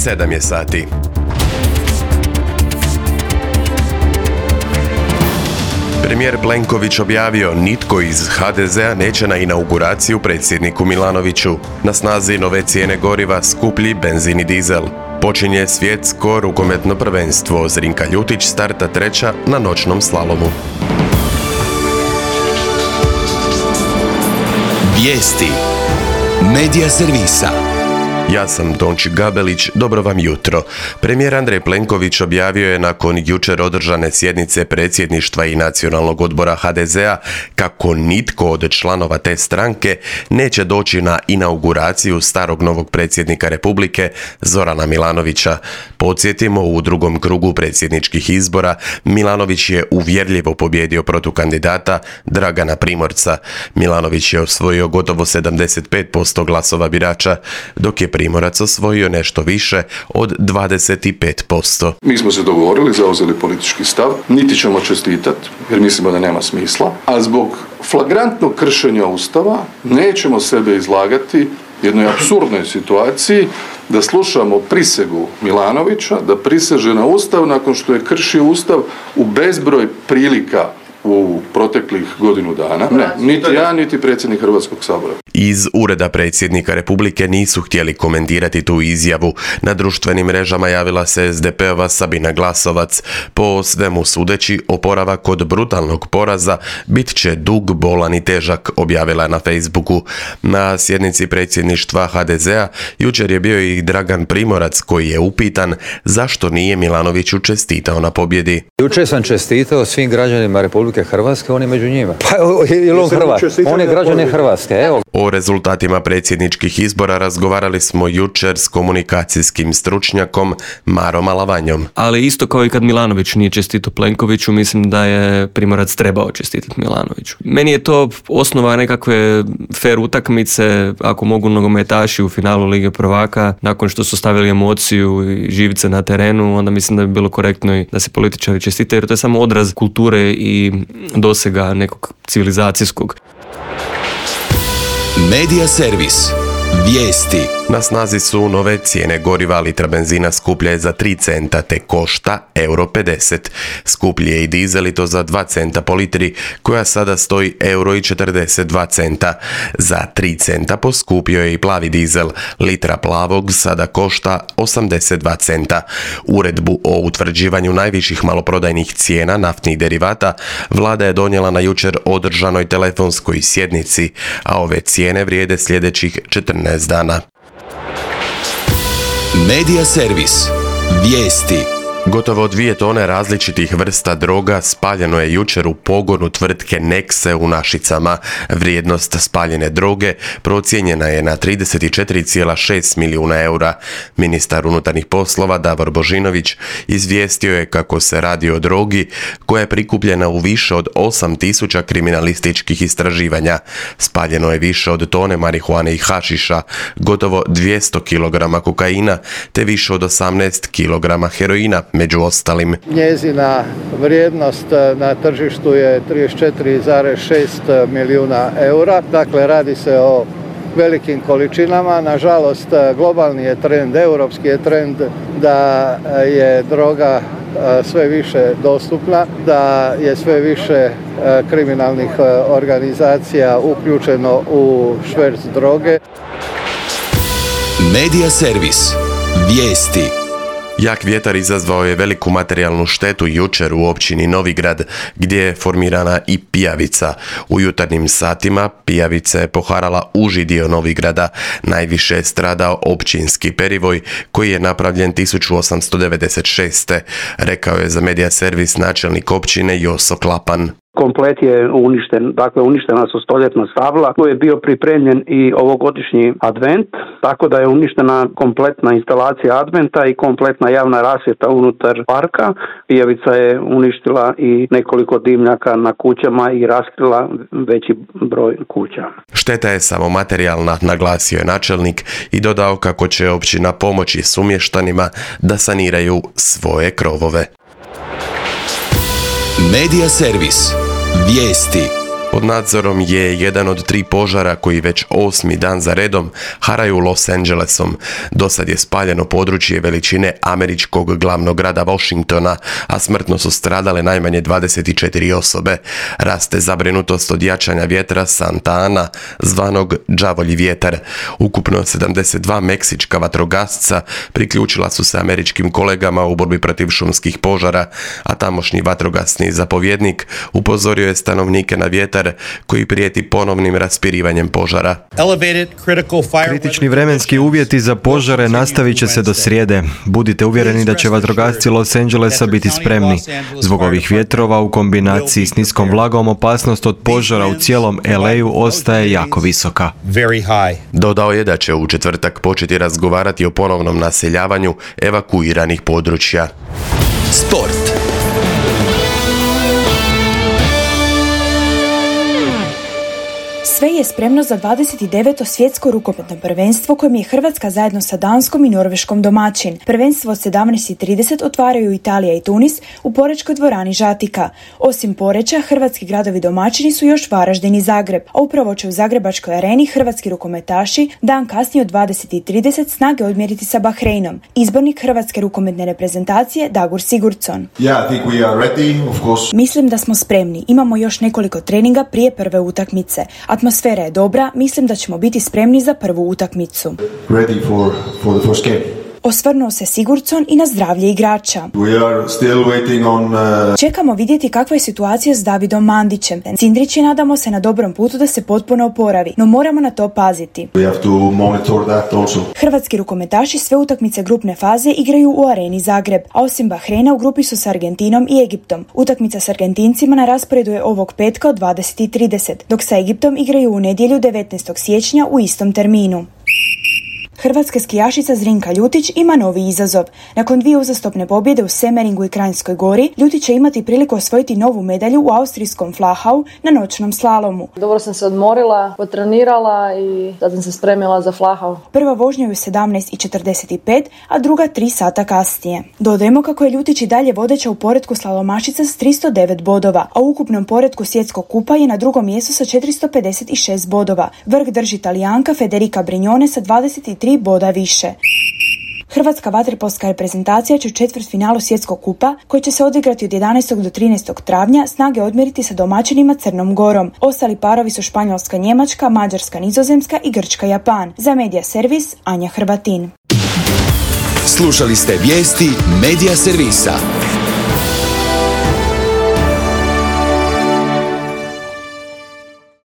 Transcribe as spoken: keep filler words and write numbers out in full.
sedam je sati. Premijer Plenković objavio nitko iz ha de zea neće na inauguraciju predsjedniku Milanoviću. Na snazi nove cijene goriva, skuplji benzin i dizel. Počinje svjetsko rukometno prvenstvo. Zrinka Ljutić starta treća na noćnom slalomu. Vijesti Medija servisa. Ja sam Tonči Gabelić, dobro vam jutro. Premijer Andrej Plenković objavio je nakon jučer održane sjednice predsjedništva i nacionalnog odbora ha de zea kako nitko od članova te stranke neće doći na inauguraciju starog novog predsjednika Republike Zorana Milanovića. Podsjetimo, u drugom krugu predsjedničkih izbora Milanović je uvjerljivo pobijedio protukandidata Dragana Primorca. Milanović je osvojio gotovo sedamdeset pet posto glasova birača, dok je Primorac osvojio nešto više od dvadeset pet posto. Mi smo se dogovorili, zauzeli politički stav, niti ćemo čestitati, jer mislimo da nema smisla, a zbog flagrantnog kršenja Ustava nećemo sebe izlagati jednoj apsurdnoj situaciji da slušamo prisegu Milanovića, da priseže na Ustav nakon što je kršio Ustav u bezbroj prilika u proteklih godinu dana. Ne, niti ja, niti predsjednik Hrvatskog sabora. Iz Ureda predsjednika Republike nisu htjeli komentirati tu izjavu. Na društvenim mrežama javila se es de pe ova Sabina Glasovac. Po svemu sudeći, oporavak od brutalnog poraza bit će dug, bolan i težak, objavila je na Facebooku. Na sjednici predsjedništva ha de zea jučer je bio i Dragan Primorac, koji je upitan zašto nije Milanoviću čestitao na pobjedi. Jučer sam čestitao svim građanima Republike Hrvatske, on je među njima. Pa je on Hrvat, on je građane Hrvatske, evo. O rezultatima predsjedničkih izbora razgovarali smo jučer s komunikacijskim stručnjakom Marom Alavanjom. Ali isto kao i kad Milanović nije čestitao Plenkoviću, mislim da je Primorac trebao čestitati Milanoviću. Meni je to osnova nekakve fer utakmice, ako mogu nogometaši u finalu Lige prvaka, nakon što su stavili emociju i živice na terenu, onda mislim da bi bilo korektno i da se političari čestite, jer to je samo odraz kulture i dosega nekog civilizacijskog. Medija servis. Vijesti. Na snazi su nove cijene goriva. Litra benzina skuplja je za tri centa te košta euro pedeset. Skuplji je i dizel i to za dva centa po litri, koja sada stoji euro i četrdeset dva centa. Za tri centa poskupio je i plavi dizel. Litra plavog sada košta osamdeset dva centa. Uredbu o utvrđivanju najviših maloprodajnih cijena naftnih derivata vlada je donijela na jučer održanoj telefonskoj sjednici, a ove cijene vrijede sljedećih četrnaest dana. Medija servis. Vijesti. Gotovo dvije tone različitih vrsta droga spaljeno je jučer u pogonu tvrtke Nexe u Našicama. Vrijednost spaljene droge procijenjena je na trideset četiri zarez šest milijuna eura. Ministar unutarnjih poslova Davor Božinović izvijestio je kako se radi o drogi koja je prikupljena u više od osam tisuća kriminalističkih istraživanja. Spaljeno je više od tone marihuane i hašiša, gotovo dvjesto kilograma kokaina te više od osamnaest kilograma heroina, među ostalim. Njezina vrijednost na tržištu je trideset četiri zarez šest milijuna eura. Dakle, radi se o velikim količinama. Nažalost, globalni je trend, europski je trend da je droga sve više dostupna, da je sve više kriminalnih organizacija uključeno u šverc droge. Medija servis. Vijesti. Jak vjetar izazvao je veliku materijalnu štetu jučer u općini Novigrad, gdje je formirana i pijavica. U jutarnjim satima pijavica je poharala uži dio Novigrada. Najviše je stradao općinski perivoj, koji je napravljen tisuću osamsto devedeset šeste. Rekao je za Medija servis načelnik općine Joso Klapan. Komplet je uništen, dakle uništena su stoljetna stabla. Tu je bio pripremljen i ovogodišnji advent, tako da je uništena kompletna instalacija adventa i kompletna javna rasvjeta unutar parka. Pijavica je uništila i nekoliko dimnjaka na kućama i raskrila veći broj kuća. Šteta je samo materijalna, naglasio je načelnik i dodao kako će općina pomoći sumještanima da saniraju svoje krovove. Medija servis. Vijesti. Pod nadzorom je jedan od tri požara koji već osmi dan za redom haraju Los Angelesom. Dosad je spaljeno područje veličine američkog glavnog grada Washingtona, a smrtno su stradale najmanje dvadeset četiri osobe. Raste zabrinutost od jačanja vjetra Santa Ana, zvanog đavolji vjetar. Ukupno sedamdeset dva meksička vatrogasca priključila su se američkim kolegama u borbi protiv šumskih požara, a tamošnji vatrogasni zapovjednik upozorio je stanovnike na vjetar koji prijeti ponovnim raspirivanjem požara. Kritični vremenski uvjeti za požare nastavit će se do srijede. Budite uvjereni da će vatrogasci Los Angelesa biti spremni. Zbog ovih vjetrova u kombinaciji s niskom vlagom opasnost od požara u cijelom L A-u ostaje jako visoka. Dodao je da će u četvrtak početi razgovarati o ponovnom naseljavanju evakuiranih područja. Sport. Sve je spremno za dvadeset deveto svjetsko rukometno prvenstvo kojem je Hrvatska zajedno sa Danskom i Norveškom domaćin. Prvenstvo od sedamnaest i trideset otvaraju Italija i Tunis u porečkoj dvorani Žatika. Osim Poreča, hrvatski gradovi domaćini su još Varaždin i Zagreb, a upravo će u Zagrebačkoj areni hrvatski rukometaši dan kasnije od dvadeset i trideset snage odmjeriti sa Bahreinom. Izbornik hrvatske rukometne reprezentacije Dagur Sigurdsson. Yeah, I think we are ready, of course. Mislim da smo spremni. Imamo još nekoliko treninga prije prve utakmice. Atmosfera je dobra, mislim da ćemo biti spremni za prvu utakmicu. Ready for, for the first game. Osvrnuo se Sigurdsson i na zdravlje igrača. We are still waiting on, uh... Čekamo vidjeti kakva je situacija s Davidom Mandićem. Cindrić je, nadamo se, na dobrom putu da se potpuno oporavi, no moramo na to paziti. We have to monitor that also. Hrvatski rukometaši sve utakmice grupne faze igraju u areni Zagreb, a osim Bahreina u grupi su s Argentinom i Egiptom. Utakmica s Argentincima na rasporedu je ovog petka od dvadeset i trideset, dok sa Egiptom igraju u nedjelju devetnaestog siječnja u istom terminu. Hrvatska skijašica Zrinka Ljutić ima novi izazov. Nakon dvije uzastopne pobjede u Semeringu i Kranjskoj Gori, Ljutić će imati priliku osvojiti novu medalju u austrijskom Flachau na noćnom slalomu. Dobro sam se odmorila, potrenirala i sad sam se spremila za Flachau. Prva vožnja je u sedamnaest i četrdeset pet, a druga tri sata kasnije. Dodajemo kako je Ljutić i dalje vodeća u poretku slalomašica s tristo devet bodova, a u ukupnom poretku svjetskog kupa je na drugom mjestu sa četiristo pedeset šest bodova. Vrh drži Talijanka Federica Brignone sa dvadeset tri boda više. Hrvatska vaterpolska reprezentacija će u četvrtfinalu svjetskog kupa, koji će se odigrati od jedanaestog do trinaestog travnja, snage odmjeriti sa domaćinima Crnom Gorom. Ostali parovi su Španjolska, Njemačka, Mađarska, Nizozemska i Grčka, Japan. Za Medija Servis, Anja Hrvatin. Slušali ste vijesti Medija Servisa.